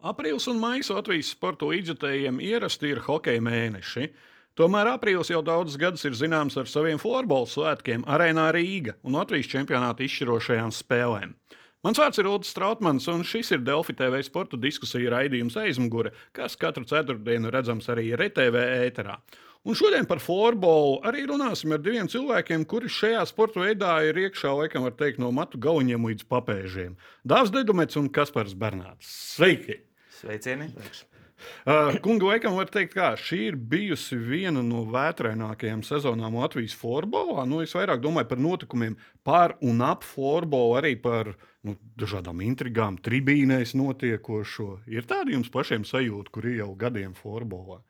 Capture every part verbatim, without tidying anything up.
Aprīlis un maijs Latvijas sporta līdzjutējiem ierasti ir hokeja mēneši. Tomēr aprīlis jau daudzus gadus ir zināms ar saviem florbola svētkiem Arēnā Rīga un Latvijas čempionāta izšķirošajām spēlēm. Mans vārds ir Ulris Strautmans, un šis ir Delfi T V sporta diskusija raidījums Aizmugure, kas katru ceturtdienu redzams arī R T V ēterā. Un šodien par florbolu arī runāsim ar diviem cilvēkiem, kuri šajā sporta veidā ir iekšā, laikam var teikt, no matu galiņiem līdz papēžiem. Dāvs Dedumets un Kaspars Bernāts. Sveiki! Sveicieni! Uh, kunga, laikam var teikt, kā šī ir bijusi viena no vētrainākajām sezonām Latvijas florbolā. Nu, es vairāk domāju par notikumiem pār un ap florbolu, arī par nu, dažādām intrigām, tribīnēs notiekošo. Ir tādi jums pašiem sajūta, kur ir jau gadiem florbolā?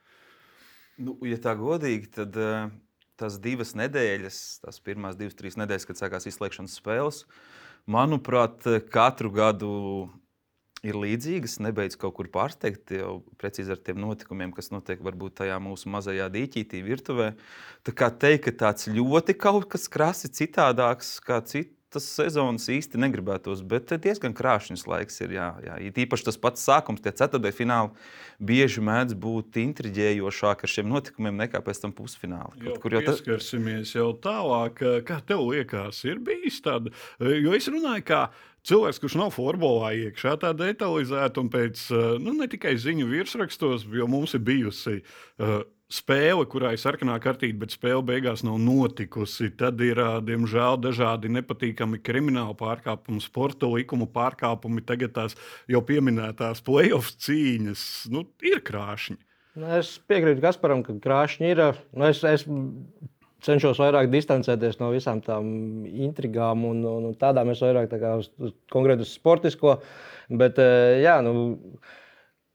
Nu, ja tā godīgi, tad uh, tās divas nedēļas, tās pirmās divas, trīs nedēļas, kad sākās izslēgšanas spēles, manuprāt, katru gadu ir līdzīgas, nebeidz kaut kur pārsteigt, jau precīzi ar tiem notikumiem, kas notiek varbūt tajā mūsu mazajā dīķītī virtuvē. Tā kā teikt, ka tāds ļoti kaut kas krasi citādāks kā citas sezonas īsti negribētos, bet diezgan krāšņs laiks ir, jā. jā. Īpaši tas pats sākums, tie ceturtdaļu fināli bieži mēdz būt intriģējošāk ar šiem notikumiem nekā pēc tam pusfināli. Jau kur jau pieskarsimies jau tālāk, kā tev liekas, ir bijis tāda, jo es runāju kā cilvēks, kurš nav florbolā iekšā tā detalizēta un pēc, nu ne tikai ziņu virsrakstos, jo mums ir bijusi uh, spēle, kurā ir sarkanā kartīte, bet spēle beigās nav notikusi. Tad ir, diemžēl, dažādi nepatīkami krimināli pārkāpumi, sporta likumu pārkāpumi, tagad tās jau pieminētās play-off cīņas. Nu, ir krāšņi. Nu, es piekrītu Kasparam, ka krāšņi ir. Nu, es, es cenšos vairāk distancēties no visām tām intrigām un, un, un tādām. Es vairāk tā kā uz, uz, konkrēti uz sportisko. Bet, jā, nu...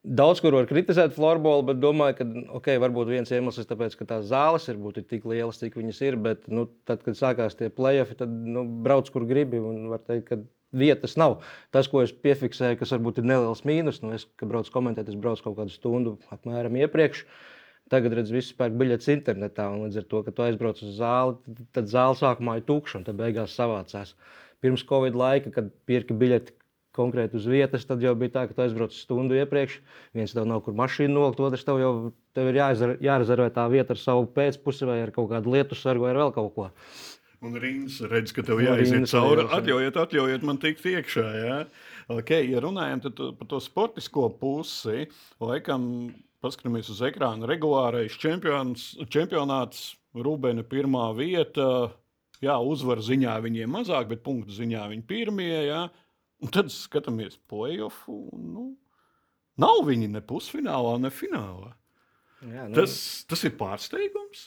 Daudz, kur var kritizēt florbolu, bet domāju, ka okay, varbūt viens iemesls ir tāpēc, ka tās zāles ir būtu tik lielas, cik viņas ir, bet nu, tad, kad sākās tie play-offi, tad nu, brauc, kur gribi, un var teikt, ka vietas nav. Tas, ko es piefiksēju, kas varbūt ir neliels mīnus, nu, es, kad braucu komentēt, es braucu kaut kādu stundu apmēram iepriekš. Tagad, redz, visi pērk biļetes internetā, un līdz ar to, ka tu aizbrauc uz zāli, tad zāle sākumā ir tukša, un tad beigās savācās. Pirms Covid laika, kad pirki biļeti konkrēti uz vietas, tad jau bija tā, ka tu aizbrauc stundu iepriekš, viens tev nav kur mašīnu nolikt, otrs tev jau tev ir jārezervē tā vieta ar savu pēcpusi vai ar kaut kādu lietu sargu vai ar vēl kaut ko. Un Rīns redz, ka tev jāiziet cauri. Atļaujiet, atļaujiet man tikt iekšā, jā. Okay, ja runājam tad par to sportisko pusi, laikam paskatāmies uz ekrānu, regulārais čempions, čempionāts, Rubena pirmā vieta, jā, uzvaru ziņā viņiem mazāk, bet punktu ziņā viņi pirmie, jā. Un tad skatāmies play-offu, nu, nav viņi ne pusfinālā, ne finālā. Jā, nu... tas, tas ir pārsteigums.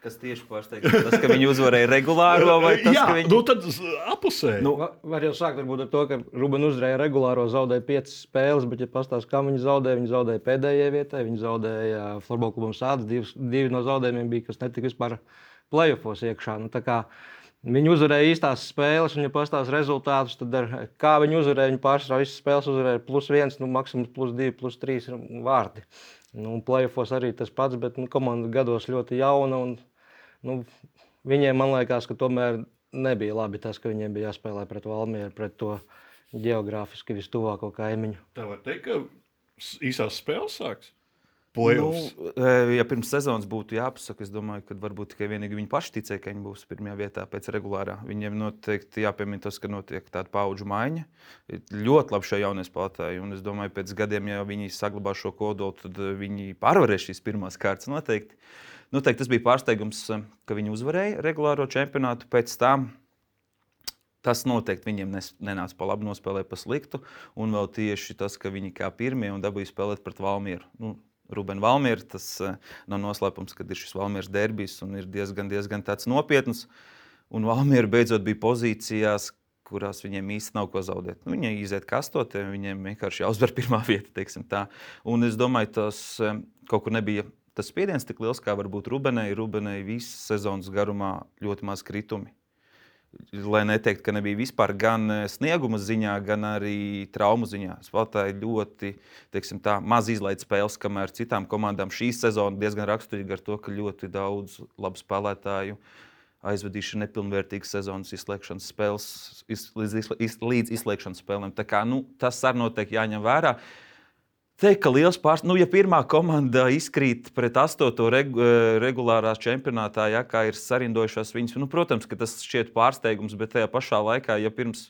Kas tieši pārsteigums? Tas, ka viņi uzvarēja regulāro vai tas, Jā, ka viņi... nu tad apusēji. Nu, var jau sākt varbūt ar to, ka Ruben uzvarēja regulāro, zaudēja piecas spēles, bet ja pastāst, kā viņi zaudēja, viņi zaudēja pēdējai vietai, viņi zaudēja Florbola klubam Sāds, divi, divi no zaudējumiem bija, kas netika vispār play-offos iekšā. Nu, tā kā viņi uzvarēja īstās spēles, un ja pastāst rezultātus, tad ar, kā viņi uzvarēja, viņi pārsvarā visas spēles uzvarēja plus viens, nu, maksimums plus divi, plus trīs vārdi. Nu, play-offos arī tas pats, bet nu, komanda gados ļoti jauna, un nu, viņiem, man liekas, ka tomēr nebija labi tas, ka viņiem bija jāspēlē pret Valmieru, pret to geogrāfiski vistuvāko kaimiņu. Tā var teikt, ka īsās spēles sāks? Nu, ja pirms sezonas būtu jāpasaka, es domāju, ka varbūt tikai vienīgi viņi paši ticēja, ka viņi būs pirmajā vietā pēc regulārā. Viņiem noteikti jāpiemina tas, ka notiek tāda paudžu maiņa. Ļoti labi šie jaunie spēlētāji, un es domāju, pēc gadiem, ja viņi saglabā šo kodolu, tad viņi pārvarēs šīs pirmās kārtas noteikti. Noteikti tas bija pārsteigums, ka viņi uzvarēja regulāro čempionātu pēc tam. Tas noteikti viņiem nenāca pa labu, nospēlēja pa sliktu, un vēl tieši tas, ka viņi kā pirmie un dabūja spēlēt pret Valmieru. Nu, Ruben Valmiera, tas nav noslēpums, kad ir šis Valmieras derbijs un ir diezgan, diezgan tāds nopietns. Un Valmiera beidzot bija pozīcijās, kurās viņiem īsti nav ko zaudēt. Nu, viņi iziet kastotē, viņiem vienkārši jāuzvar pirmā vieta, teiksim tā. Un es domāju, tas kaut kur nebija tas spiediens tik liels, kā varbūt Rubenai. Rubenai visas sezonas garumā ļoti maz kritumi. Lai neteikt, ka nebija vispār gan snieguma ziņā, gan arī traumu ziņā. Spēlētāji ļoti, teiksim tā, maz izlaid spēles, kamēr citām komandām šī sezona diezgan raksturīga ar to, ka ļoti daudz labu spēlētāju aizvadījuši nepilnvērtīgas sezonas izslēgšanas spēles iz, līdz, iz, līdz izslēgšanas spēlēm. Tā kā, nu, tas arī noteikti jāņem vērā. teikt, ka liels pārsteigums, nu, ja pirmā komanda izkrīt pret astoto regu, regulārā čempionātā, ja, kā ir sarindojušās viņas, nu, protams, ka tas šķiet pārsteigums, bet tajā pašā laikā, ja pirms,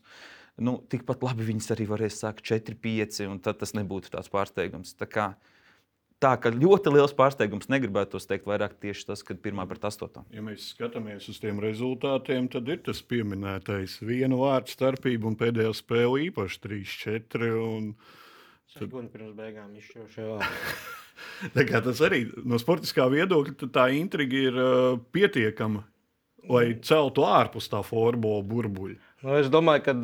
nu, tikpat labi viņas arī varēs sākt četri pieci, un tad tas nebūtu tāds pārsteigums. Tā kā, tā, ka ļoti liels pārsteigums negribētos teikt vairāk tieši tas, kad pirmā pret astoto. Ja mēs skatāmies uz tiem rezultātiem, tad ir tas pieminētais vienu vārdu starpību un pēdējā spēle īpaši trīs četri. Un... Sekundi pirms beigām izšķirošie vārdi. Tas arī no sportiskā viedokļa tā intriga ir uh, pietiekama, lai celtu ārpus tā florbola burbuļa. Nu, es domāju, ka,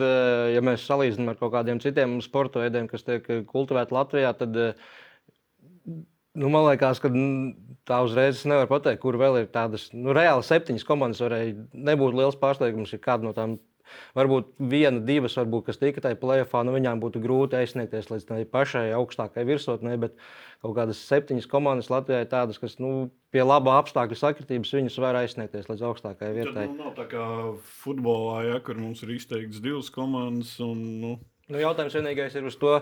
ja mēs salīdzinām ar kaut kādiem citiem sporta veidiem, kas tiek kultivēti Latvijā, tad nu, man liekas, ka tā uzreiz nevar pateikt, kur vēl ir tādas nu, reāli septiņas komandas. Varēja nebūt liels pārsteigums, ja kāda no tām. Varbūt viena, divas, varbūt, kas tika tajā play-offā, nu viņām būtu grūti aizsniegties līdz tai pašai augstākai virsotnē, bet kaut kādas septiņas komandas Latvijā ir tādas, kas nu, pie laba apstākļu sakritības viņas var aizsniegties līdz augstākajai vietai. Tad nu, nav tā kā futbolā, ja, kur mums ir izteikts divas komandas. Un, nu... Nu, jautājums vienīgais ir uz to,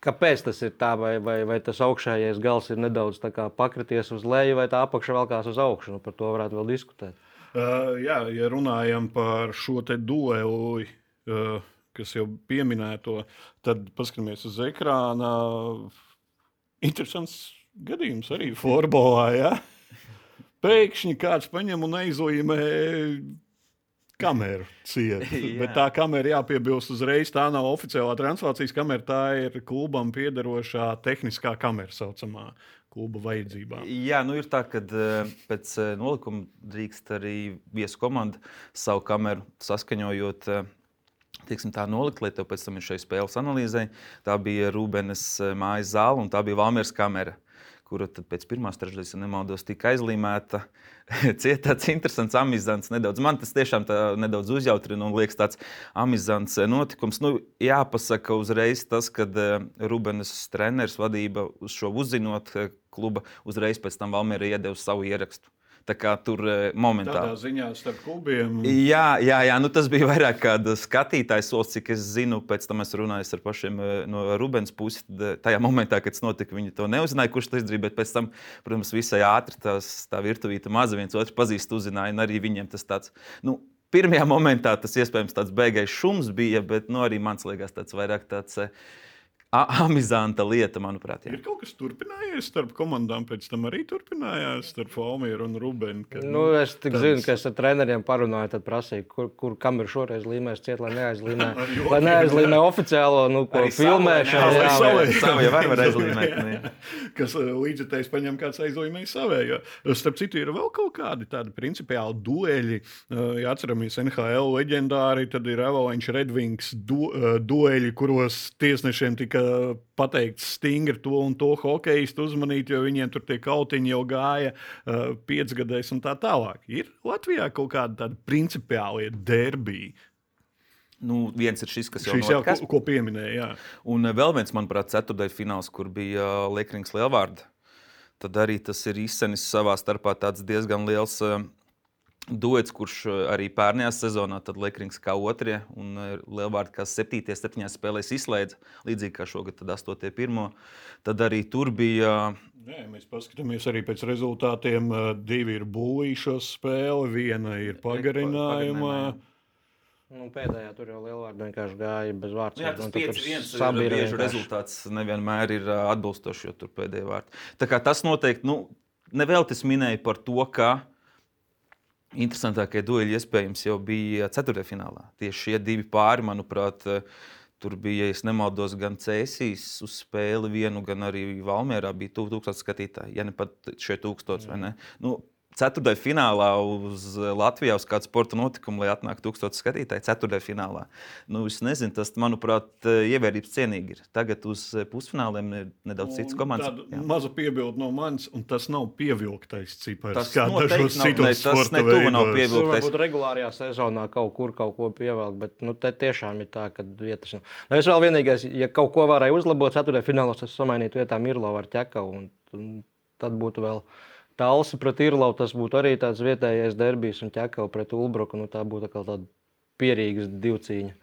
kāpēc tas ir tā, vai, vai, vai tas augšējais gals ir nedaudz tā kā pakrities uz leju, vai tā apakša velkās uz augšu. Nu, par to varētu vēl diskutēt. Uh, jā, ja runājam par šo te dueli, uh, kas jau pieminēto, tad paskatāmies uz ekrāna. Interesants gadījums arī florbolā. Ja? Pēkšņi kāds paņem un aizlīmē kameru ciet. Bet tā kamera, jāpiebilst uzreiz, tā nav oficiālā translācijas kamera, tā ir klubam piederošā tehniskā kamera saucamā. Kluba vajadzībām. Jā, nu ir tā, ka pēc nolikuma drīkst arī viesu komanda savu kameru saskaņojot, tieksim tā nolikt, lai tev pēc tam ir šai spēles analīzē. Tā bija Rūbenes mājas zāle un tā bija Valmieras kamera, kura tad pēc pirmās trešdaļas, ja nemaldos, tika aizlīmēta. Ciet tāds interesants amizants nedaudz. Man tas tiešām tā nedaudz uzjautrina un liekas tāds amizants notikums. Nu, jāpasaka uzreiz tas, kad Rūbenes treneris vadība uz šo uzzinot kluba, uzreiz pēc tam Valmiera iedeva savu ierakstu. Tā kā tur momentāli. Tādā ziņā starp klubiem. Jā, jā, jā, nu tas bija vairāk kāda skatītājs solis, cik es zinu, pēc tam es runāju ar pašiem no Rūbenes puses. Tajā momentā, kad tas notika, viņi to neuzzināja, kurš to izdarīja, bet pēc tam, protams, visai ātri tās, tā virtuvīta maza viens otru pazīst, uzzināja, un arī viņiem tas tāds, nu, pirmajā momentā tas iespējams tāds beigais šums bija, bet, nu, arī mans liekas tāds vairāk tāds amizanta lieta, manuprāt. Jā. Ir kaut kas turpinājies starp komandām, pēc tam arī turpinājās starp Valmieru un Rūbeni. Kad, nu, es tik tāds... zinu, ka es ar treneriem parunāju, tad prasīju, kur, kur kameru šoreiz līmēs ciet, lai neaizlīmē, lai neaizlīmē oficiālo, nu, ko filmēšanu. Jā, jā, savu jau var, var aizlīmēt. Kas līdzekļs paņem kāds aizlīmēja savējo. Starp citu, ir vēl kaut kādi tādi principiāli dueļi. Ja atceramies N H L leģendāri, tad ir Avalanche Red Wings du, dueļi, kuros tiesnešiem tika pateikts stingri to un to hokejistu uzmanīt, jo viņiem tur tie kautiņi jau gāja uh, piecgadēs un tā tālāk. Ir Latvijā kaut kāda tāda principiālie derbiji? Nu, viens ir šis, kas jau šis notikas. Jau, ko, ko pieminēja, jā. Un vēl viens, manuprāt, ceturtdaļa fināls, kur bija Liekrings Lielvārda. Tad arī tas ir izcenis savā starpā tāds diezgan liels uh, duets, kurš arī pērnējā sezonā, tad Liekrings kā otrie un Lielvārda kā septītie, septiņās spēlēs izslēdza, līdzīgi kā šogad tad astotie pirmo. Tad arī tur bija... Nē, mēs paskatāmies arī pēc rezultātiem. Divi ir būvīšos spēli, viena ir pagarinājumā. Nu, pēdējā tur jau Lielvārda vienkārši gāja bez vārds. Jā, tas pieci viens bieži rezultāts nevienmēr ir atbilstoši, jo tur pēdējā vārta. Tā kā tas noteikti, nu, nevēl tas minēja par to, ka interesantākie dueļi iespējams jau bija ceturtajā finālā. Tieši šie divi pāri, manuprāt, tur bija, ja es nemaldos, gan Cēsīs uz spēli vienu, gan arī Valmierā bija tūkstots skatītāji, ja ne pat šie tūkstots, vai ne? Nu, ceturtajā finālā uz Latvijā uz kādu sporta notikumu, lai atnāk tūkstots skatītāji ceturtajā finālā. Nu, es nezinu, tas, manuprāt, ievērības cienīgi ir. Tagad uz pusfināliem ir nedaudz cits komandas. Tāda maza piebilde no manis, un tas nav pievilktais cipars. Tas kā dažos citos sporta veidos. Varbūt regulārajā sezonā kaut kur kaut ko pievelk, bet nu, te tiešām ir tā, ka vietas nav. Nu, es vēl vienīgais, ja kaut ko varēju uzlabot ceturtajā finālos, es samainītu vietām Irlavu ar Ķekavu, un, un tad būtu vēl Talsi pret Irlavu, tas būtu arī tāds vietējais derbijs, un Ķekava pret Ulbruku, nu tā būtu tāda pierīgas divcīņa.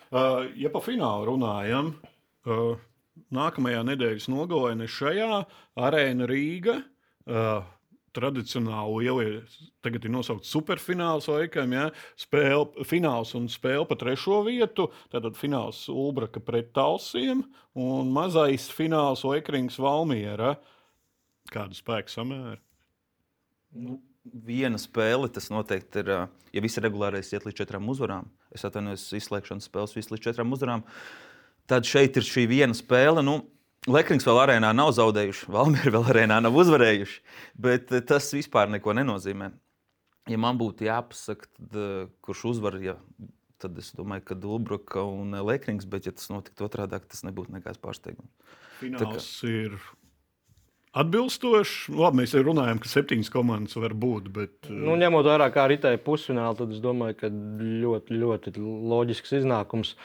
Uh, ja pa finālu runājam, uh, nākamajā nedēļas nogalē, ne šajā Arēna Rīga. Uh, Tradicionāli ievies, tagad ir nosaukts superfināls laikam, ja, spēle, fināls un spēle pa trešo vietu, tātad fināls Ulbraka pret Talsiem un mazais fināls Lekrings Valmiera. Kādu spēku samēru? Nu, viena spēle, tas noteikti ir, ja visi regulārais iet līdz četrām uzvarām, es atvainojos izslēgšanas spēles visi līdz četrām uzvarām, tad šeit ir šī viena spēle, nu, Lekrings vēl arēnā nav zaudējuši, Valmieri vēl arēnā nav uzvarējuši, bet tas vispār neko nenozīmē. Ja man būtu jāpasaka, tad, kurš uzvar, ja, tad es domāju, ka Ulbraka un Lekrings, bet ja tas notiktu otrādāk, tas nebūtu nekāds pārsteigums. Fināls kā... ir atbilstošs. Labi, mēs jau runājam, ka septiņas komandas var būt, bet... Nu, ņemot vērā, kā ritēja pusfināli, tad es domāju, ka ļoti, ļoti loģisks iznākums.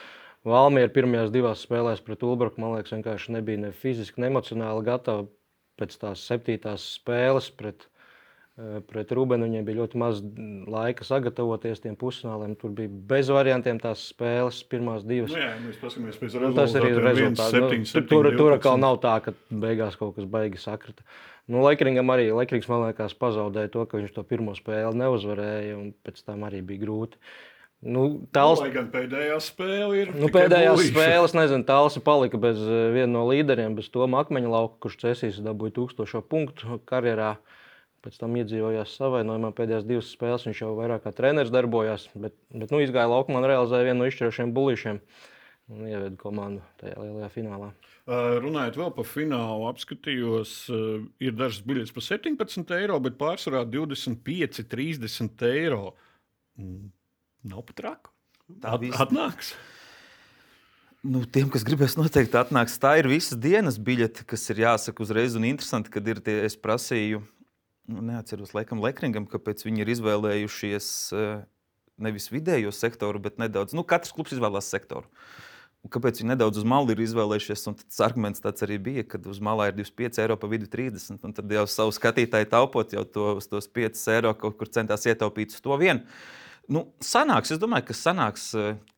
Valmiera pirmajās divās spēlēs pret Ulbraku, man liekas, vienkārši nebija ne fiziski, ne emocionāli gatava pēc tās septītās spēles pret, pret Rubenu. Viņiem bija ļoti maz laika sagatavoties tiem pusfināliem. Tur bija bez variantiem tās spēles, pirmās divas. Nu jā, mēs paskatāmies pēc rezultātiem. Nu, tas arī ir rezultāts. Nu, tur, tur atkal nav tā, ka beigās kaut kas baigi sakrita. Nu, Lekringam arī, Lekrings, man liekas, pazaudēja to, ka viņš to pirmo spēli neuzvarēja, un pēc tam arī bija grūti. Nu, tals... Lai gan pēdējā spēle ir nu, pēdējās spēles, nezinu, Talsi palika bez viena no līderiem, bez Toma Akmeņlauka, kurš Cēsīs dabūja tūkstošo punktu karjerā. Pēc tam iedzīvojās savainojumā pēdējās divas spēles, viņš jau vairāk kā treneris darbojās, bet, bet nu, izgāja laukumā un realizēja vienu no izšķirošiem bulīšiem un ieveda komandu tajā lielajā finālā. Uh, runājot vēl par finālu, apskatījos, uh, ir dažas biļetes par septiņpadsmit eiro, bet pārsvarā divdesmit pieci, trīsdesmit eiro. Mm. Nav pat traku. At, atnāks. Nu, tiem, kas gribēs, noteikti atnāks. Tā ir visas dienas biļete, kas ir jāsaka uzreiz un interesanti, kad ir tie, es prasīju, nu, neatceros laikam Lekringam, kāpēc viņi ir izvēlējušies nevis vidējo sektoru, bet nedaudz, nu, katrs klubs izvēlās sektoru. Un kāpēc viņi nedaudz uz malu ir izvēlējušies, un tas arguments tāds arī bija, kad uz malā ir divdesmit pieci eiro, pa vidu trīsdesmit, un tad jau savu skatītāju taupot, jau to, tos piecus eiro kaut kur centās ietaupīt uz to vienu. Nu, sanāks, es domāju, ka sanāks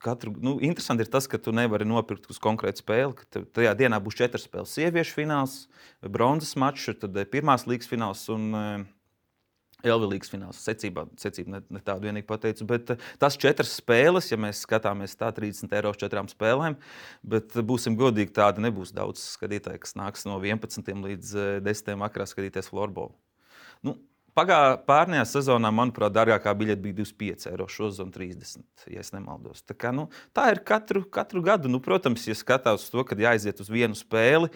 katru, nu, interesanti ir tas, ka tu nevari nopirkt uz konkrētu spēli, ka tajā dienā būs četras spēles, sieviešu fināls, bronzas mačs, tad pirmās līgas fināls un Elvi līgas fināls. Secībā, secība ne, ne tādu vienīgi pateicu, bet tas četras spēles, ja mēs skatāmies tā trīsdesmit eiro uz četrām spēlēm, bet būsim godīgi, tāda nebūs daudz skatītāji, kas nāks no vienpadsmitiem līdz desmitiem vakarā skatīties florbolu. Nu, Pagā pārnējā sezonā, manuprāt, dārgākā biļete bija divdesmit pieci eiro, šozon trīsdesmit, ja es nemaldos. Tā, kā, nu, tā ir katru, katru gadu. Nu, protams, ja skatās uz to, kad jāaiziet uz vienu spēli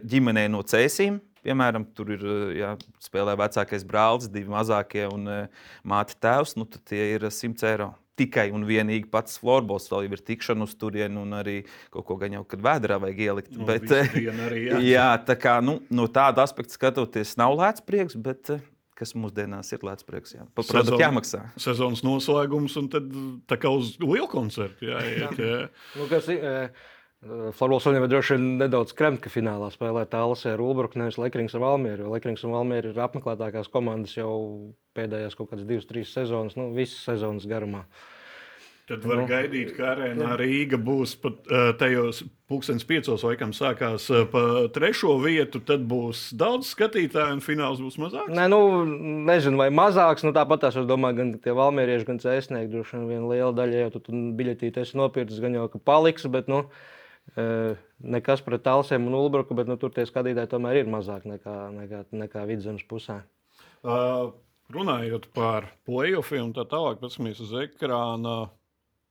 ģimenei no Cēsīm, piemēram, tur ir jā, spēlē vecākais brālis, divi mazākie un māte tēvs, nu, tad tie ir simt eiro. Tikai un vienīgi pats florbols, vēl jau ir tikšana uz turienu un arī kaut ko gan jau, kad vēderā vajag ielikt. Nu, bet, arī, jā. jā, tā kā, nu, no tāda aspekta skatoties nav lēts prieks, bet kas mūsdienās ir lēts prieks, jā. Pa produktu jāmaksā. Sezonas noslēgums un tad tā kā uz lielu koncertu jāiet, jā. Nu, kas ir... Florbols viņam ir droši vien nedaudz kremt, ka finālā spēlē Talsi ar Ulbraku, nevis Lekrings ar Valmieru, jo Lekrings un Valmiera ir apmeklētākās komandas jau pēdējās kaut kādas divas, trīs sezonas, nu, visas sezonas garumā. Tad var nu, gaidīt, ka arēnā Rīga būs pat tajos pulkstens piecos laikam sākās pa trešo vietu, tad būs daudz skatītāju un fināls būs mazāks? Nē, nu, nezinu, vai mazāks, nu tāpat tās, es domāju, gan tie valmierieši, gan cēsnieki, droši vien viena liela daļa, jau tu biļetīti esi nopircis, gan jau, ka paliks, bet, nu, nekas pret Talsiem un Ulbraku, bet, nu, tur tie skatītāji tomēr ir mazāk nekā, nekā, nekā Vidzemes pusē. Uh, runājot par play-offiem un tā tālāk, paskamies uz ekrāna,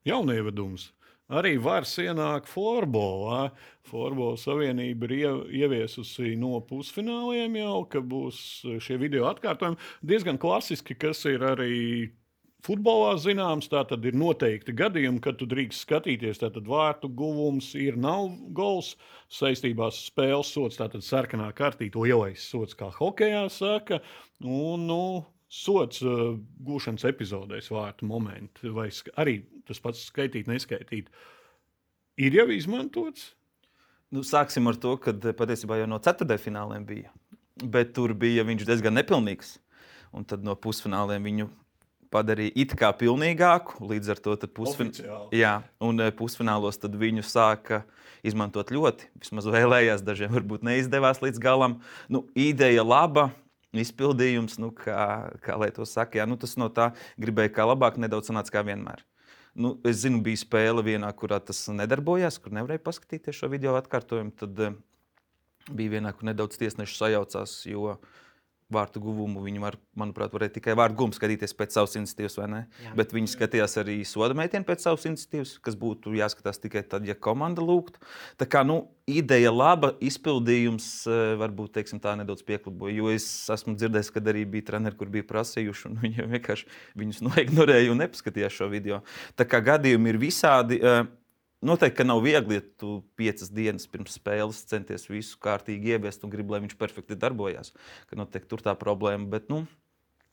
jaunievedums. Arī vairs ienāk florbolā. Florbola savienība ir ieviesusi no pusfināliem jau, ka būs šie video atkārtojumi. Diezgan klasiski, kas ir arī futbolā zināms, tā tad ir noteikti gadījumi, kad tu drīkst skatīties, tātad vārtu guvums ir, nav gols, saistībās spēles sots, tātad sarkanā kartīte, lielais sots, kā hokejā saka, un, nu, sots uh, gūšanas epizodēs vārtu momenti, vai arī tas pats skaitīt, neskaitīt, ir jau izmantots? Nu, sāksim ar to, ka patiesībā jau no ceturtdaļfināliem bija, bet tur bija viņš diezgan nepilnīgs, un tad no pusfināliem viņu padarīja it kā pilnīgāku, līdz ar to pusfin... Jā, un pusfinālos tad viņu sāka izmantot ļoti, vismaz vēlējās, dažiem varbūt neizdevās līdz galam. Nu, ideja laba, izpildījums, nu, kā, kā lai to saka, jā, nu, tas no tā gribēja kā labāk, nedaudz sanāca kā vienmēr. Nu, es zinu, bija spēle vienā, kurā tas nedarbojās, kur nevarēja paskatīties šo video atkārtojumu, tad uh, bija vienā, kur nedaudz tiesneši sajaucās, jo vārtu guvumu viņi var, manuprāt, varēja tikai vārtu guvumu skatīties pēc savas iniciatīvas, vai ne? Jā, bet viņi skatījās arī soda meitienu pēc savas iniciatīvas, kas būtu jāskatās tikai tad, ja komanda lūgtu. Tā kā, nu, ideja laba, izpildījums varbūt, teiksim, tā nedaudz piekluboja, jo es esmu dzirdējis, kad arī bija treneri, kur bija prasījuši, un viņi vienkārši viņus noignorēja un nepaskatījās šo video. Tā kā gadījumi ir visādi. Noteikti, ka nav viegli, ja tu piecas dienas pirms spēles centies visu kārtīgi ieviest un gribi, lai viņš perfekti darbojās. Ka noteikti tur tā problēma, bet, nu...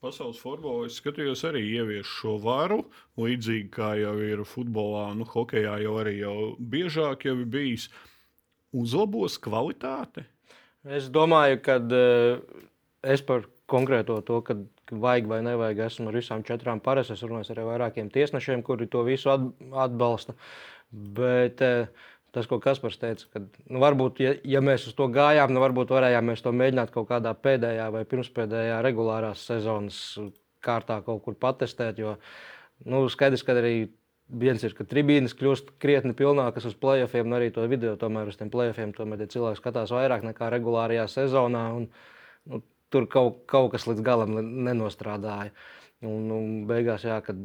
Pasaules futbolā es skatījos arī ievies šo varu, līdzīgi kā jau ir futbolā, nu, hokejā jau arī jau biežāk jau ir bijis. Uzlabos kvalitāte? Es domāju, ka es par konkrēto to, kad vajag vai nevajag, esmu ar visām četrām paras, es runāju ar vairākiem tiesnešiem, kuri to visu atbalsta. Bet tas, ko Kaspars teica, ka nu, varbūt, ja, ja mēs uz to gājām, nu, varbūt varējām mēs to mēģināt kaut kādā pēdējā vai pirmspēdējā regulārās sezonas kārtā kaut kur patestēt, jo nu, skaidrs, ka arī viens ir, ka tribīnes kļūst krietni pilnākas uz play-offiem, un arī to video tomēr uz tiem play-offiem tomēr cilvēki skatās vairāk nekā regulārajā sezonā, un nu, tur kaut, kaut kas līdz galam nenostrādāja. Un, un beigās, jā, kad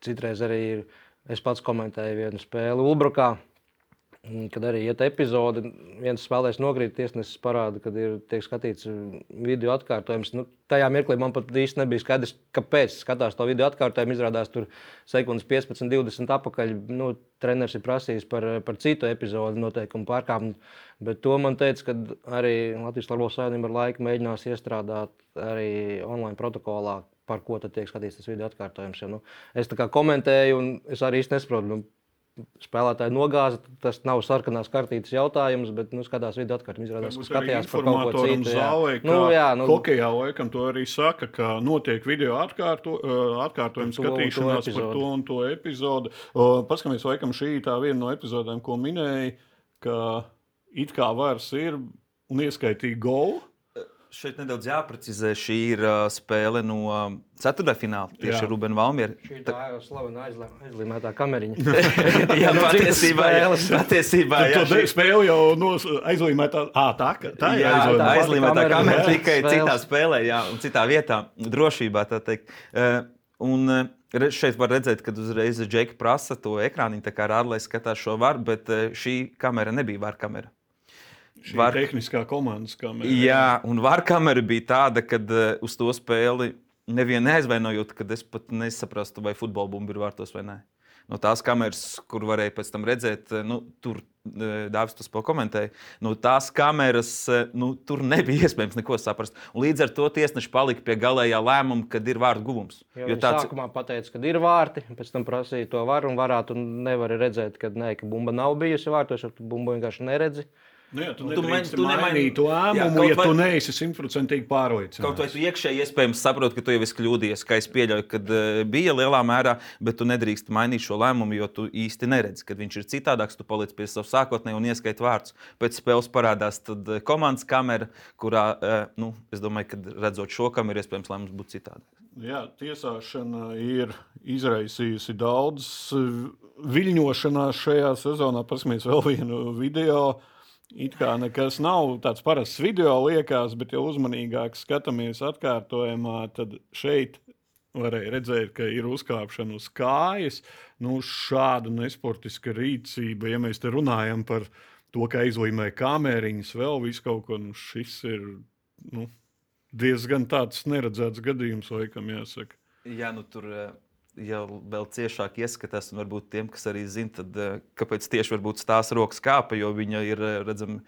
citreiz arī ir, es pats komentēju vienu spēli Ulbrukā, kad arī iet epizode, viens spēlēs nokrīt, tiesnesis parāda, kad ir tiek skatīts video atkārtojums. Nu, tajā mirklī man pat īsti nebija skaidrs, kāpēc skatās to video atkārtojumu. Izrādās tur sekundes piecpadsmit divdesmit apakaļ. Nu, treneris ir prasījis par, par citu epizodi noteikumu pārkāpumu. Bet to man teica, ka arī Latvijas Futbola Savienība ar laiku mēģinās iestrādāt arī online protokolā, par ko tad tiek skatīts tas video atkārtojums. Ja, nu, es tā kā komentēju, un es arī īsti nesaprotu, nu, spēlētāji nogāza, tas nav sarkanās kartītes jautājums, bet nu, skatās video atkārtojumu, izrādās, ka skatījās par kaut ko citu. Zālē, nu, jā, nu, hokejā laikam to arī saka, ka notiek video atkārto, atkārtojumu skatīšanās to par to un to epizodu. Paskamies, laikam šī tā viena no epizodēm, ko minēja, ka it kā vairs ir un ieskaitīja golu. Šeit nedaudz jāprecizē, šī ir uh, spēle no uh, ceturtdaļfināla, tieši ar Rubenu Valmieru. Šī tā ir slavena aizlīmētā kameriņa. Jā, patiesībā, patiesībā jā, šī spēle jau no aizlīmētā, ā, tā, tā ir jā, aizlīmētā, tā aizlīmētā kamera, tikai spēles. citā spēlē, jā, un citā vietā, drošībā, tā teikt. Uh, un uh, šeit var redzēt, kad uzreiz Džeki prasa to ekrāniņu, tā kā rāda, lai skatās šo varu, bet uh, šī kamera nebija var kamera. Šī var... tehniskā komandas kamera. Jā, un var kamera bija tāda, kad uh, uz to spēli nevienu neaizvainojot, kad es pat nesaprastu, vai futbola bumba ir vārtos vai nē. No tās kameras, kur varēja pēc tam redzēt, nu, tur Dāvis to spēl komentēja, no tās kameras, nu, tur nebija iespējams neko saprast. Un līdz ar to tiesneši palika pie galējā lēmuma, kad ir vārdu guvums. Jo jo tāds... sākumā pateica, kad ir vārti, pēc tam prasīja to varu un varētu un nevari redzēt, kad nē, ka bumba nav bijusi vārtos, jo tu bumbu vienkārši neredzi. Nu jā, tu nedrīkst mainīt to lēmumu, ja tu neesi simtprocentīgi pārliecināts. Kaut vai tu iekšēji iespējams saproti, ka tu jau esi kļūdījies, ka es pieļauju, kad bija lielā mērā, bet tu nedrīkst mainīt šo lēmumu, jo tu īsti neredzi, kad viņš ir citādāks, tu paliec pie savu sākotnēju un ieskait vārdus. Pēc spēles parādās tad komandas kamera, kurā, nu, es domāju, kad redzot šo kameru, iespējams lēmums būtu citādāk. Jā, tiesāšana ir izraisījusi daudz viļņošanās šajā sezonā. Paskamies vēl vienu video. It kā nekas nav tāds parasts video liekas, bet ja uzmanīgāk skatāmies atkārtojumā, tad šeit varēja redzēt, ka ir uzkāpšana uz kājas. Nu, šāda nesportiska rīcība, ja mēs te runājam par to, ka aizlīmē kameriņas, vēl visu kaut ko, nu, šis ir nu, diezgan tāds neredzēts gadījums, laikam jāsaka. Jā, nu tur... ja vēl ciešāk ieskatās, un varbūt tiem, kas arī zina, tad kāpēc tieši varbūt tās rokas kāpa, jo viņa ir, redzam,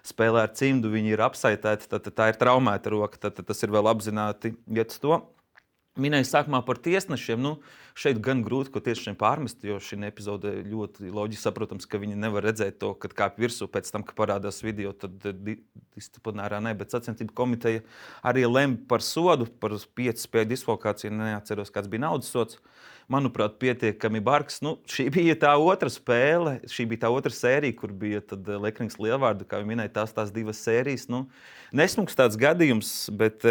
spēlē ar cimdu, viņa ir apsaitēta, tad tā ir traumēta roka, tad tas ir vēl apzināti iet uz to. minēju sākumā par tiesnešiem. Nu, šeit gan grūti, ko tiesnešiem pārmest, jo šī epizode ļoti loģiski saprotams, ka viņi nevar redzēt to, kad kāp virsū pēc tam, kad parādās video, tad di disciplinārā ne, bet sacensību komiteja arī lem par sodu, par piecu spēļu diskvalifikāciju, neatceros, kāds bija naudas sods. Manuprāt, pietiekami bargs. Nu, šī bija tā otra spēle, šī bija tā otra sērija, kur bija tad Lekrings Lielvārdu, kā jau minēja, tās tās divas sērijas. Nu, nesmuks tāds gadījums, bet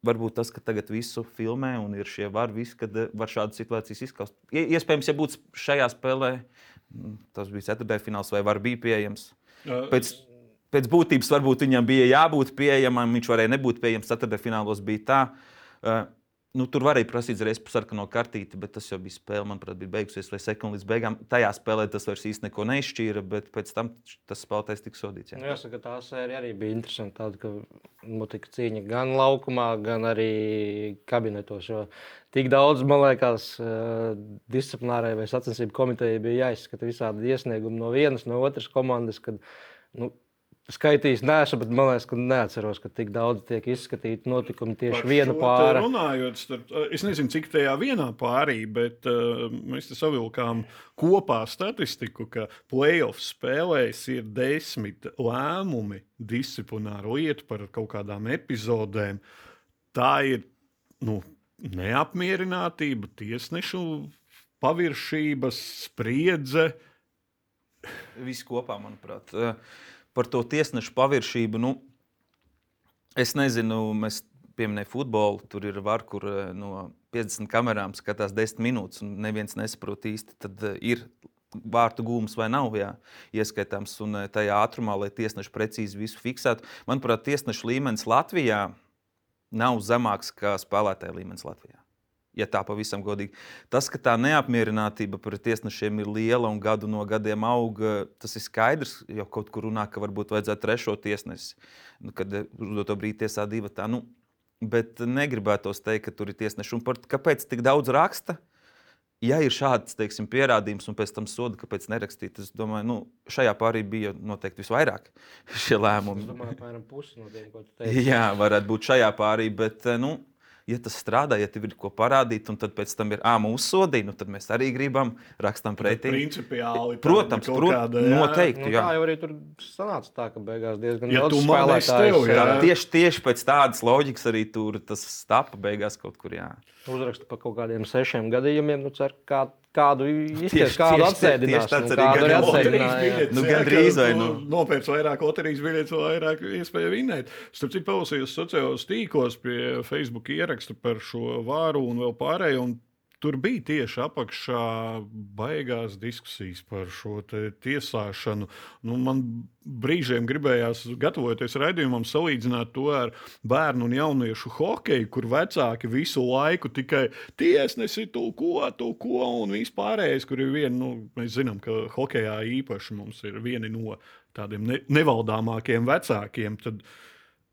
varbūt tas, ka tagad visu filmē un ir šie var, visi, kad var šādas situācijas izskaust. Iespējams, ja būtu šajā spēlē, tas bija ceturtdaļfināls vai var bija pieejams. Pēc, pēc būtības varbūt viņam bija jābūt pieejamam, viņš varēja nebūt pieejams, ceturtdaļfinālos bija tā. Nu, tur varēja prasīt reiz par sarkano kartīti, bet tas jau bija spēle, manuprāt, bija beigusies vai sekundi līdz beigām. Tajā spēlē tas vairs īsti neko neizšķīra, bet pēc tam tas spēlētājs tika sodīts. Jā. Jāsaka, tā sērija arī bija interesanta, tāda, ka notika cīņa gan laukumā, gan arī kabinetos, jo tik daudz, man liekas, disciplinārai vai sacensību komitejai bija jāizskata visādi iesniegumi no vienas, no otras komandas, kad, nu, skaitījis neesmu, bet man liekas, ka neatceros, ka tik daudz tiek izskatīti notikumi tieši par viena pāra. Runājot, starp, es nezinu, cik tajā vienā pārī, bet uh, mēs te savilkām kopā statistiku, ka playoff spēlēs ir desmit lēmumi disciplināru lietu par kaut kādām epizodēm. Tā ir, nu, neapmierinātība, tiesnešu paviršības, spriedze. Viss kopā, manuprāt. Par to tiesnešu paviršību, nu, es nezinu, mēs pieminēju futbolu, tur ir var, kur no piecdesmit kamerām skatās desmit minūtes, un neviens nesaprot īsti, tad ir vārtu gūms vai nav, jā, ieskaitāms, un tajā ātrumā, lai tiesneši precīzi visu fiksētu. Manuprāt, tiesnešu līmenis Latvijā nav zemāks kā spēlētāja līmenis Latvijā. Ja tā pavisam godīgi. Tas, ka tā neapmierinātība par tiesnešiem ir liela un gadu no gadiem auga, tas ir skaidrs, jo kaut kur runā, ka varbūt vajadzētu trešo tiesnesi, nu, kad uz to brīdi tiesā divi tā. Nu, bet negribētos teikt, ka tur ir tiesneši. Un par, kāpēc tik daudz raksta? Ja ir šāds, teiksim, pierādījums un pēc tam soda, kāpēc nerakstīt, es domāju, nu, šajā pārī bija noteikti visvairāk šie lēmumi. Es domāju, apmēram pusi no tiem, ko tu teici. Jā, varētu būt šajā pārī, bet, nu, ja tas strādā, ja tev ir ko parādīt, un tad pēc tam ir, ā, mūsu sodī, nu tad mēs arī gribam, rakstam pretī. Principiāli. Protams, prot, kāda, noteikti, nu, jā. Tā jau arī tur sanāca tā, ka beigās diezgan ja daudz spēlētājs. Tev, jā. Tieši, tieši pēc tādas loģikas arī tur tas stapa beigās kaut kur, jā. Uzraksta par kaut kādiem sešiem gadījumiem, nu cer, kā, kādu izties, Tieši- kādu tieši- atsēdinās. tieši tāds nu, arī kādu arī gadījums. atsēdināja. Nu, gandrīz vai nu. Nopērc vairāk loterijas biļetes, vairāk iespēja vinēt. Starp citu, palasījos sociālos tīklos pie Facebook ieraksta par šo vāru un vēl pārējo, un tur bija tieši apakšā baigās diskusijas par šo te tiesāšanu. Nu, man brīžiem gribējās, gatavoties raidījumam, salīdzināt to ar bērnu un jauniešu hokeju, kur vecāki visu laiku tikai tiesnesi tu ko, tu ko, un vispārējais, kur ir viena, nu, mēs zinām, ka hokejā īpaši mums ir vieni no tādiem ne, nevaldāmākiem vecākiem, tad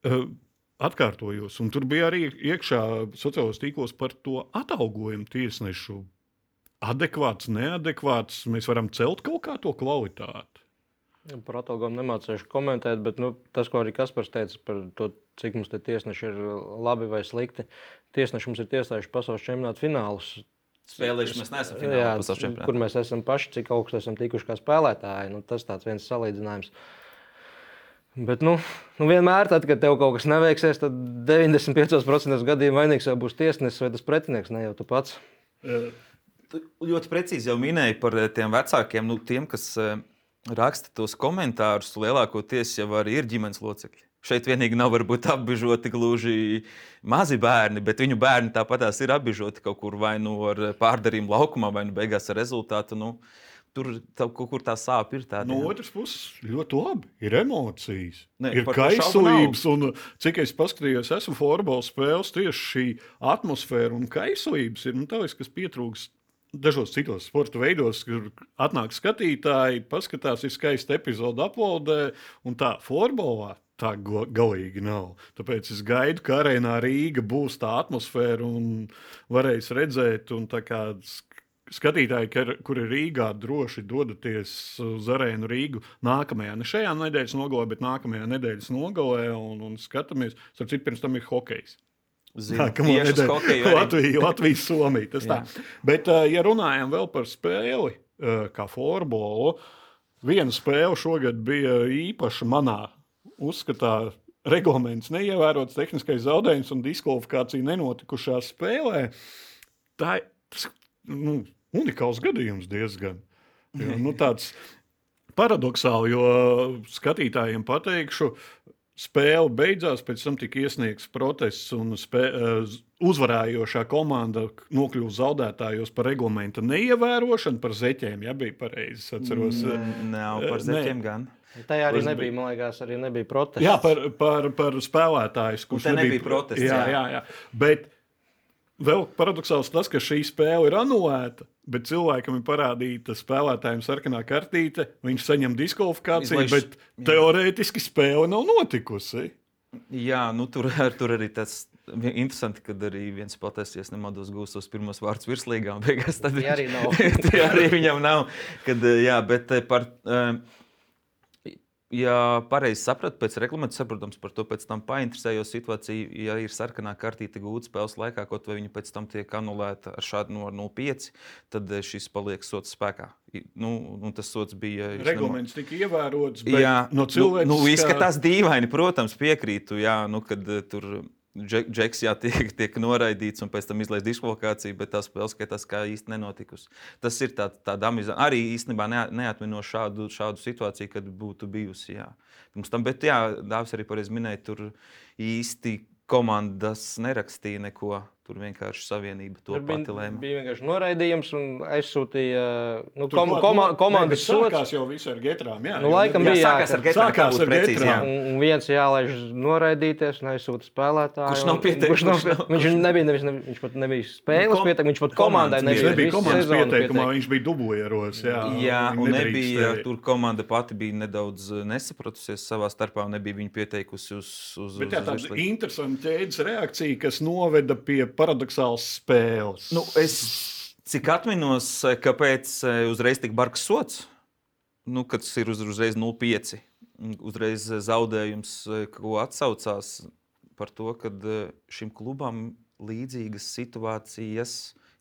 uh, atkārtojos, un tur bija arī iekšā sociālos tīklos par to atalgojumu tiesnešu. Adekvāts, neadekvāts, mēs varam celt kaut kā to kvalitāti. Par atalgojumu nemācīšu komentēt, bet nu, tas, ko arī Kaspars teica par to, cik mums te tiesneši ir labi vai slikti. Tiesneši mums ir tiesājuši pasaules čempionāta finālus. Spēlējuši mēs neesam Jā, finālā pasaules čempionātā. kur mēs esam paši, cik augstu esam tikuši kā spēlētāji. Nu, tas tāds viens salīdzinājums. Bet nu, nu vienmēr, tad, kad tev kaut kas neveiksies, tad deviņdesmit piecos procentos gadījumā vainīgs jau būs tiesnesis vai tas pretinieks, ne jau tu pats. Tu ļoti precīzi jau minēji par tiem vecākiem, nu, tiem, kas uh, raksta tos komentārus, lielākoties jau arī ir ģimenes locekļi. Šeit vienīgi nav varbūt apbižoti gluži mazi bērni, bet viņu bērni tāpatās ir apbižoti kaut kur vai nu ar pārdarījumu laukumā, vai nu beigās ar rezultātu. Nu, tur tā, kaut kur tā sāpe ir tāda. No jā. otras puses, ļoti labi. Ir emocijas, Ne, ir par to šaubu kaislības. Un, cik es paskatījos, esmu futbola spēles, tieši šī atmosfēra un kaislības ir nu, tā, kas pietrūkst dažos citos sporta veidos, kur atnāk skatītāji, paskatās, ir skaista epizode aplaudē, un tā futbolā tā galīgi nav. Tāpēc es gaidu, ka arēnā Rīga būs tā atmosfēra un varēs redzēt, un tā kā skatītāji, kuri Rīgā droši dodaties uz arēnu Rīgu nākamajā, ne šajā nedēļas nogalē, bet nākamajā nedēļas nogalē un, un skatāmies. Starp citu, pirms tam ir hokejs. Zinu, Nākamo tieši uz nedēļu. hokeju arī. Latvija, Latvija, Somija. Tas tā. Bet, uh, ja runājam vēl par spēli, uh, kā florbolu, viena spēle šogad bija īpaša manā uzskatā. Reglaments neievērots, tehniskais zaudējums un diskvalifikācija nenotikušā spēlē. Tā ir tas, nu, unikāls gadījums diezgan. Jo, nu, tāds paradoxāli, jo skatītājiem pateikšu, spēle beidzās, pēc tam tika iesniegts protests un spē, uzvarējošā komanda nokļuva zaudētājos par reglamenta neievērošanu, par zeķiem, ja bija pareizi, es atceros. Nav par zeķiem gan. Tajā arī nebija, man liekas, arī nebija protests. Jā, par, par, par spēlētājus, kurš nebija, nebija protests. Jā, jā, jā. Bet vēl paradoxāls tas, ka šī spēle ir anulēta, bet cilvēkam ir parādīta spēlētājiem sarkanā kartīte, viņš saņem diskvalifikāciju, Izlaiž, bet jā. Teorētiski spēle nav notikusi. Jā, nu tur, tur arī tas interesanti, kad arī viens spēlētājs, ja nemaldos, gūs tos pirmos vārdus virslīgā, un beigās tad Tie arī nav. tie arī viņam nav. Kad, jā, bet par... Ja pareizi sapratu, pēc reglamenta, saprotams, par to pēc tam painteresējos situāciju, ja ir sarkanā kartīte gūta spēles laikā, kaut vai viņa pēc tam tiek anulēta ar šādu no nulle pieci, tad šis paliek sots spēkā. Nu, un tas sots bija... Reglaments nema... tika ievērots, bet jā, no cilvēks... Nu, nu izskatās dīvaini, protams, piekrītu, jā, nu, kad tur... Džeks jā, tiek, tiek noraidīts un pēc tam izlaist diskvalifikāciju, bet tā spēle skatās kā īsti nenotikusi. Tas ir tā, tāda amizanta. Arī īstenībā neatmino šādu, šādu situāciju, kad būtu bijusi. Jā. Pirms tam, bet jā, Dāvis arī pareizi minēja, tur īsti komandas nerakstīja neko. Tur vienkārši savienība to pati lēma. Bija vienkārši noraidījums un aizsūtīja nu, Tur kom, klāt, koma, nu, komandas ne, sots. Sākās jau visu ar getrām. Jā, Nu, laikam jā, bija, sākās jā, ar getrām. Sākās ar getrām. Un, un viens jālaiž noraidīties un aizsūta spēlētāju. Kurš nav un- pieteikts, kurš nav kurš nav- pie- Viņš nebija, nevis, nevis, viņš pat nebija spēles Kom- pieteikumā, viņš pat komandai komandas nebija. Viņš nebija visu komandas sezonu pieteikumā, pieteikumā. viņš bija dublieros. Jā, Jā, viņi un nedrīkst nebija, tevi. tur komanda pati bija nedaudz nesapratusies savā starpā un nebija viņa pieteikusi uz, uz, Bet jā, uz tāda virslīgu. interesanta ķēdes reakcija, kas noveda pie paradoxālas spēles. Nu, es cik atminos, kāpēc uzreiz tik bargs sots, nu, kad tas ir uz, uzreiz nulle pieci, uzreiz zaudējums, ko atsaucās par to, ka šim klubam līdzīgas situācijas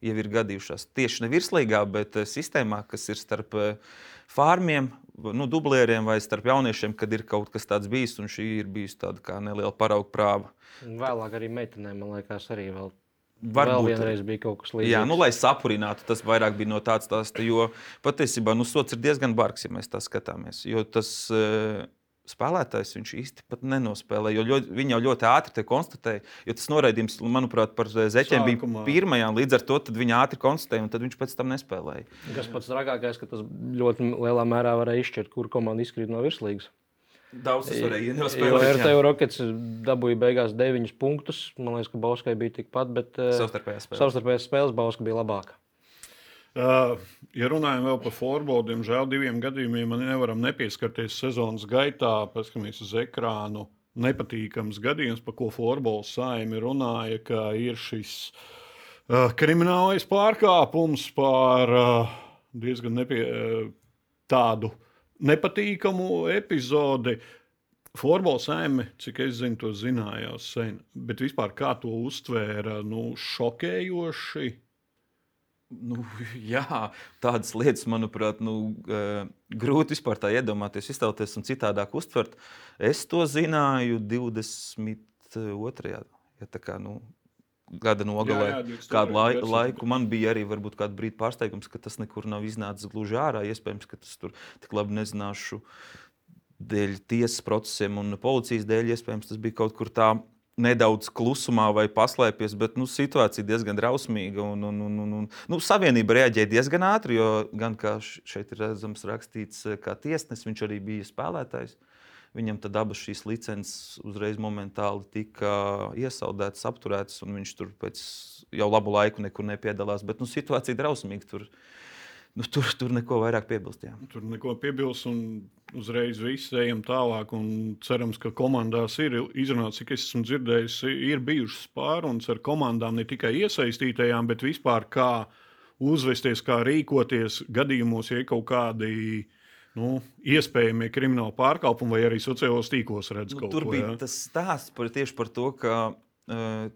jau ir gadījušās. Tieši ne virslīgā, bet sistēmā, kas ir starp fārmiem, nu, dublieriem vai starp jauniešiem, kad ir kaut kas tāds bijis, un šī ir bijusi tāda kā neliela parauga prāva. Un Vēlāk arī meitenēm, man liekas, arī vēl, Varbūt vēl vienreiz bija kaut kas līdzīgs. Jā, nu, lai sapurinātu, tas vairāk bija no tāds stāsta, jo patiesībā nu, sots ir diezgan bargs, ja mēs tā skatāmies. Jo tas uh, spēlētājs viņš īsti pat nenospēlē, jo ļoti, viņi jau ļoti ātri te konstatēja, jo tas noraidījums, manuprāt, par zeķiem Sākumā. bija pirmajā, un līdz ar to tad viņi ātri konstatēja, un tad viņš pēc tam nespēlēja. Kas pats trakākais, ka tas ļoti lielā mērā varēja izšķirt, kur komanda izkrīt no virslīgas. Daudz tas varēja Jo nospēlēt. R T U Rockets dabūja beigās deviņus punktus. Man liekas, ka Bauskai bija tikpat, bet eh, Savstarpējās spēles. savstarpējās spēles Bauska bija labāka. Uh, ja runājam vēl par florbolu, diemžēl diviem gadījumiem man nevaram nepieskarties sezonas gaitā, paskatāmies uz ekrānu. Nepatīkams gadījums, par ko florbola saime runāja, ka ir šis uh, kriminālais pārkāpums par uh, diezgan nepie, uh, tādu nepatīkamu epizodi. Florbola saime, cik es zinu, to zinājās sen, bet vispār kā to uztvēra, nu, šokējoši. Nu, jā, tādas lietas, manuprāt, nu, uh, grūti vispār tā iedomāties, iztēloties un citādāk uztvert. Es to zināju divdesmit otrajā Ja tā kā, nu, gada nogalē, Jā, jā, divdesmit kādu lai, otrajā laiku man bija arī varbūt kādu brīdi pārsteigums, ka tas nekur nav iznācis gluži ārā. Iespējams, ka tas tur tik labi nezināšu dēļ tiesas procesiem un policijas dēļ. Iespējams, tas bija kaut kur tā nedaudz klusumā vai paslēpies, bet nu, situācija diezgan drausmīga. Un, un, un, un, un, nu, savienība reaģēja diezgan ātri, jo gan kā šeit ir redzams rakstīts, kā tiesnesis, viņš arī bija spēlētājs. Viņam tad abas šīs licences uzreiz momentāli tika iesaldētas, apturētas, un viņš tur pēc jau labu laiku nekur nepiedalās. Bet nu, situācija drausmīga. Tur, nu, tur, tur neko vairāk piebilst. Jā. Tur neko piebilst, un uzreiz viss ejam tālāk. Cerams, ka komandās ir izrunāts, cik es esmu dzirdējis, ir bijušas pārunas ar komandām, ne tikai iesaistītajām, bet vispār kā uzvesties, kā rīkoties gadījumos, ja ir kaut kādi nu, iespējami krimināli pārkāpumi vai arī sociālos tīklos redz Nu, kaut tur ko. bija Ja? tas stāsts par, tieši par to, ka uh,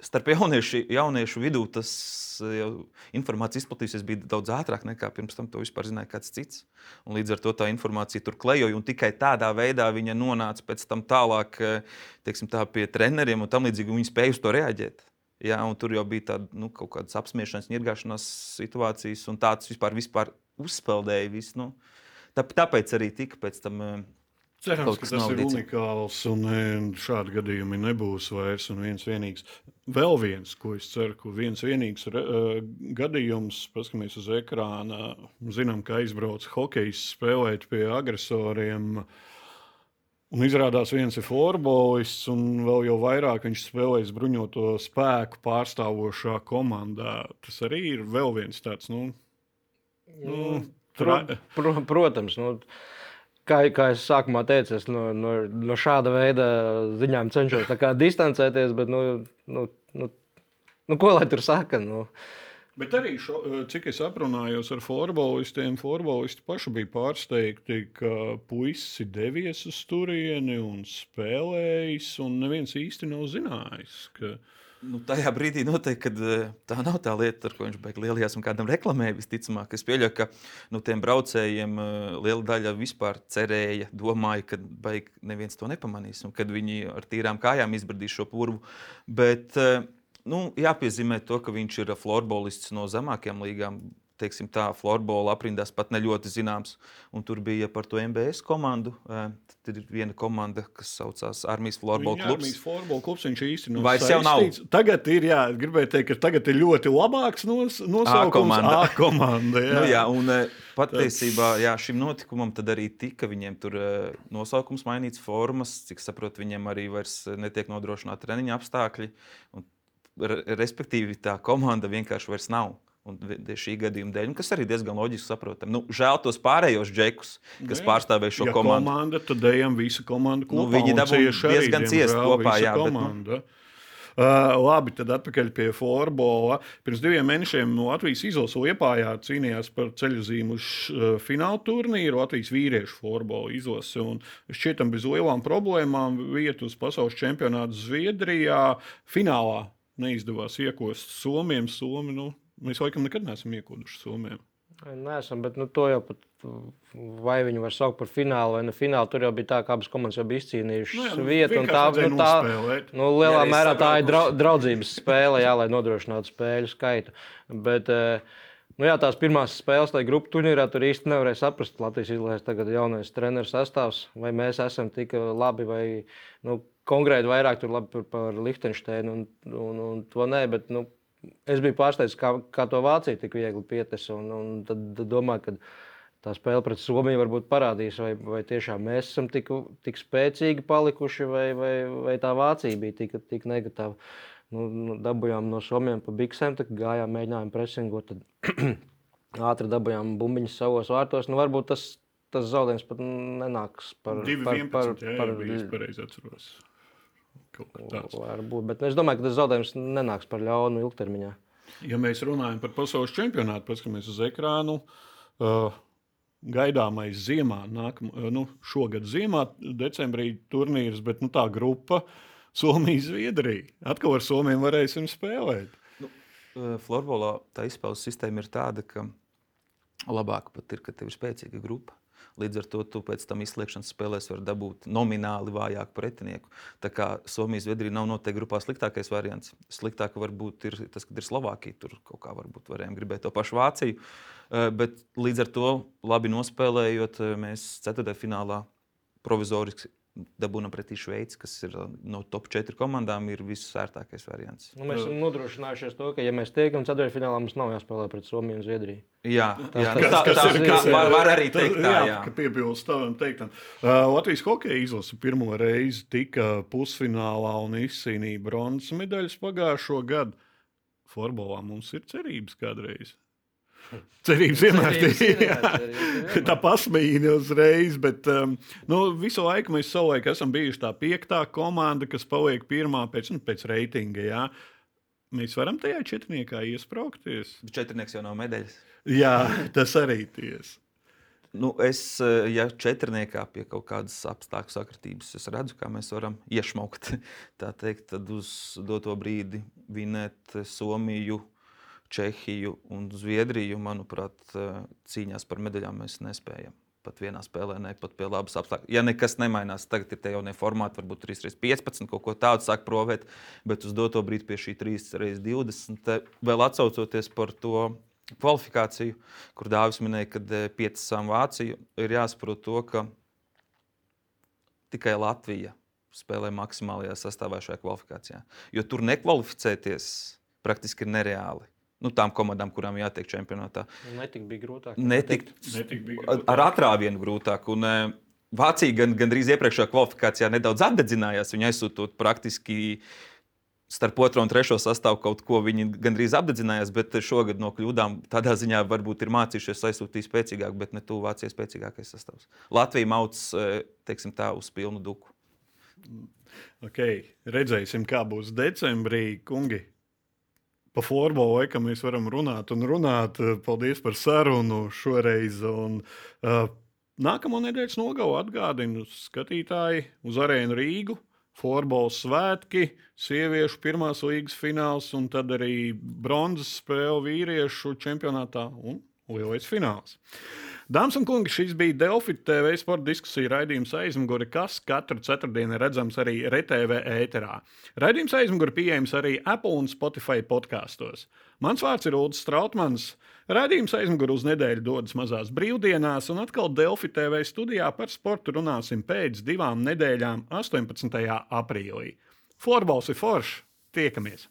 starp jauniešu, jauniešu vidū tas jau informācija izplatījusies bija daudz ātrāk nekā pirms tam to vispār zināja kāds cits. Un līdz ar to tā informācija tur klejoja, un tikai tādā veidā viņa nonāca pēc tam tālāk, teiksim tā, pie treneriem un tam līdzīgi, un viņi spēja uz to reaģēt. Jā, un tur jau bija tāda, nu, kaut kādas apsmiešanās, ņirgāšanās situācijas, un tāds vispār, vispār uzpeldēja visu, nu. Tā, tāpēc arī tika pēc tam cerams, ka tas ir navadīts. unikāls un šādi gadījumi nebūs vairs un viens vienīgs. Vēl viens, ko es ceru, ka viens vienīgs uh, gadījums, paskamies uz ekrāna, zinām, ka aizbrauc hokejs spēlēt pie agresoriem, un izrādās viens ir florbolists, un vēl jau vairāk viņš spēlēs bruņoto spēku pārstāvošā komandā. Tas arī ir vēl viens tāds, nu, nu Pro, pro, protams, nu, kā, kā es sākumā teicu, es no, no, no šāda veida ziņām cenšos tā kā distancēties, bet, nu, nu, nu, nu ko lai tur saka? Nu. Bet arī, šo, cik es aprunājos ar florbolistiem, florbolisti paši bija pārsteigti, ka puisis ir devies uz turieni un spēlējis, un neviens īsti nav zinājis, ka... Nu, tajā brīdī noteikti, kad tā nav tā lieta, ar ko viņš beig lielajās un kādam reklamēja visticamāk. Es pieļauju, ka nu, tiem braucējiem liela daļa vispār cerēja, domāja, ka beig neviens to nepamanīs un kad viņi ar tīrām kājām izbradīs šo purvu. Bet nu, jāpiezīmē to, ka viņš ir florbolists no zemākajām līgām. Teiksim tā, florbola aprindās pat ne ļoti zināms. Un tur bija par to M B S komandu. Tad ir viena komanda, kas saucās Armijas florbola klubs. Armijas florbola klubs, viņš īsti nav Vairs jau nav. Tagad ir, jā, gribēju teikt, ka tagad ir ļoti labāks nos, nosaukums. A-komanda. A-komanda, jā. Nu, jā, un patiesībā jā, šim notikumam tad arī tika viņiem tur nosaukums mainīts, formas, cik saprot, viņiem arī vairs netiek nodrošināti treniņa apstākļi. Un, respektīvi, tā komanda vienkārši vairs nav. Un šī gadījuma dēļ, kas arī diezgan loģiski saprotam. Nu, žēl tos pārējos džekus, kas jā, pārstāvēja šo ja komandu. komanda, tad ejam visa komanda kopā. Nu, viņi dabūja diezgan ciest kopā, jā. Komanda. Bet, nu... uh, labi, tad atpakaļ pie florbola. Pirms diviem mēnešiem no Latvijas izlases Liepājā cīnījās par ceļzīmu uz uh, fināla turnīru Latvijas vīriešu florbola izlase. Un šķietam bez lielām problēmām vietu uz pasaules čempionātu Zviedrijā finālā neizdevās iekost Somiem. Somi, nu, mēs laikam nekad neesam iekoduši Somiem. Neesam, bet nu, to jau pat, vai viņu var saukt par finālu vai ne finālu, tur jau bija tā, ka abas komandas jau bija izcīnījušas Nu jā, nu, vietu. Un tā, vienkārši nu, tā, nospēlēt. nu, lielā Jā, mērā tā ir sabraukuši. drau, draudzības spēle, jā, lai nodrošinātu spēļu skaitu. Bet, nu jā, tās pirmās spēles tajā grupu turnīrā tur īsti nevarēja saprast. Latvijas izlases tagad jaunais treneris sastāvs, vai mēs esam tik labi, vai nu, konkrēti vairāk tur labi par, par Lihtenšteinu un, un, un to nē, bet, nu, es biju pārsteigts, kā, kā to Vācija tik viegli pietesa, un, un tad, tad domāju, ka tā spēle pret Somiju varbūt parādīs, vai, vai tiešām mēs esam tik, tik spēcīgi palikuši, vai, vai, vai tā Vācija bija tik, tik negatīva. Nu, nu, dabujām no Somiem pa biksēm, tad gājām, mēģinājām presingot, tad ātri dabujām bumbiņas savos vārtos. Nu, varbūt tas, tas zaudējums pat nenāks par... divi par, par, vienpadsmit, jā, par, jā, bija pareizi atceros. Varbūt, bet es domāju, ka tas zaudējums nenāks par ļaunu ilgtermiņā. Ja mēs runājam par pasaules čempionātu, paskatāmies uz ekrānu, uh, gaidāmais ziemā, nākam, uh, nu, šogad ziemā, decembrī turnīrs, bet nu, tā grupa Somija, Zviedrija. Atkal ar Somiem varēsim spēlēt. Nu, florbolā tā izspēles sistēma ir tāda, ka labāk pat ir, ka tev ir spēcīga grupa. Līdz ar to tu pēc tam izslēgšanas spēlēs var dabūt nomināli vājāku pretinieku. Tā kā Somija, Zviedrija nav noteikti grupā sliktākais variants. Sliktāk varbūt ir tas, kad ir Slovākija. Tur kaut kā varbūt varējām gribēt to pašu Vāciju. Bet līdz ar to labi nospēlējot, mēs ceturtajā finālā provizoriski dabūnam pretī Šveici, kas ir no top četri komandām, ir visērtākais variants. Nu, mēs esam nodrošinājušies to, ka, ja mēs tiekam ceturtfinālā, mums nav jāspēlē pret Somiju un Zviedriju. Jā, jā Kas, tā, kas tā, ir, tā kas ir, var, var arī tas, teikt tā, jā. jā. Ka piebilst tavam teiktam. Uh, Latvijas hokeja izlase pirmo reizi tika pusfinālā un izcīnīja bronzas medaļas pagājušo gadu. Florbolā mums ir cerības kādreiz. Cerības vienmēr ir. Tā pasmējīja uzreiz, bet um, nu, visu laiku mēs savulaik esam bijuši tā piektā komanda, kas paliek pirmā pēc, nu, pēc reitinga. Jā. Mēs varam tajā četrniekā iespraukties. Četrnieks jau nav medaļas. Jā, tas arī tiesa. Nu, es, ja četrniekā pie kaut kādas apstākļu sakritības, es redzu, kā mēs varam iešmaukt, tā teikt, tad uz doto brīdi vinēt Somiju, Čehiju un Zviedriju, manuprāt, cīņās par medaļām mēs nespējam. Pat vienā spēlē, ne pat pie labas apstākļu. Ja nekas nemainās, tagad ir tie jaunie formāti, varbūt trīs pret piecpadsmit, kaut ko tādu sāk provēt, bet uz doto brīdi pie šī trīs pret divdesmit, vēl atsaucoties par to kvalifikāciju, kur Dāvis minēja, ka piecas sām Vāciju, ir jāsaprot to, ka tikai Latvija spēlē maksimālajā sastāvā šajā kvalifikācijā. Jo tur nekvalificēties praktiski ir nereāli. Nu, tām komandām, kurām jātiek čempionātā. Netik bija grūtāk. Netik, Netik bija grūtāk. ar atrāvienu grūtāk. Un, Vācija gan, gandrīz iepriekšējā kvalifikācijā nedaudz apdedzinājās. Viņi aizsūtot praktiski starp otro un trešo sastāvu kaut ko, viņi gandrīz apdedzinājās, bet šogad no kļūdām tādā ziņā varbūt ir mācījušies aizsūtīt spēcīgāk, bet ne tuvu Vācijas spēcīgākais sastāvs. Latvija mauc, teiksim tā, uz pilnu duku. Okay. Redzēsim, kā būs decembrī, kungi. Pa florbolu laikam mēs varam runāt un runāt. Paldies par sarunu šoreiz. Un, uh, nākamo nedēļas nogalu atgādinu skatītāji uz Arēnu Rīgu. Florbola svētki, sieviešu pirmās līgas fināls un tad arī bronzas spēle vīriešu čempionātā un lielais fināls. Dāmas un kungi, šis bija Delfi T V sporta diskusija raidījums Aizmugure, kas katru ceturtdienu ir redzams arī R T V ēterā. Raidījums Aizmugure pieejams arī Apple un Spotify podkastos. Mans vārds ir Ulris Strautmans. Raidījums Aizmugure uz nedēļu dodas mazās brīvdienās, un atkal Delfi T V studijā par sportu runāsim pēc divām nedēļām, astoņpadsmitajā aprīlī. Florbols ir foršs, tiekamies!